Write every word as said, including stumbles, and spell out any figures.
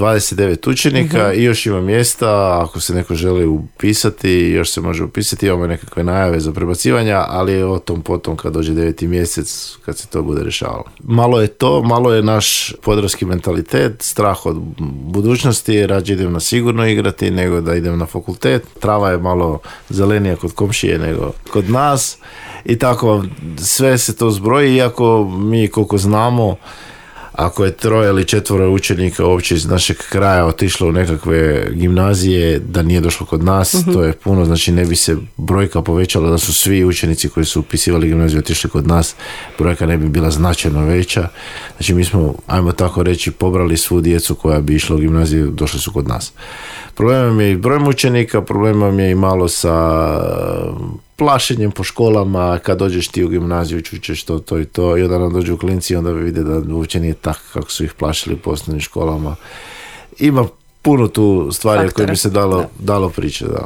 dvadeset devet učenika uh-huh. i još ima mjesta, ako se neko želi upisati, još se može upisati, imamo nekakve najave za prebacivanja, ali o tom potom kad dođe deveti mjesec, kad se to bude rješavalo. Malo je to, malo je naš podravski mentalitet, strah od budućnosti, rađe idem na sigurno igrati nego da idem na fakultet. Trava je malo zelenija kod komšije nego kod nas i tako sve se to zbroji, iako mi koliko znamo, ako je troje ili četvoro učenika uopće iz našeg kraja otišlo u nekakve gimnazije, da nije došlo kod nas, uh-huh. to je puno, znači ne bi se brojka povećala da su svi učenici koji su upisivali gimnaziju otišli kod nas, brojka ne bi bila značajno veća. Znači mi smo, ajmo tako reći, pobrali svu djecu koja bi išla u gimnaziju, došli su kod nas. Problem je i brojem učenika, problem je i malo sa plašenjem po školama, kad dođeš ti u gimnaziju čućeš to, to i to, i onda nam dođu klinci i onda vide da uopće nije tako kako su ih plašili po osnovnim školama. Ima puno tu stvari koje bi se dalo, dalo pričati. Da.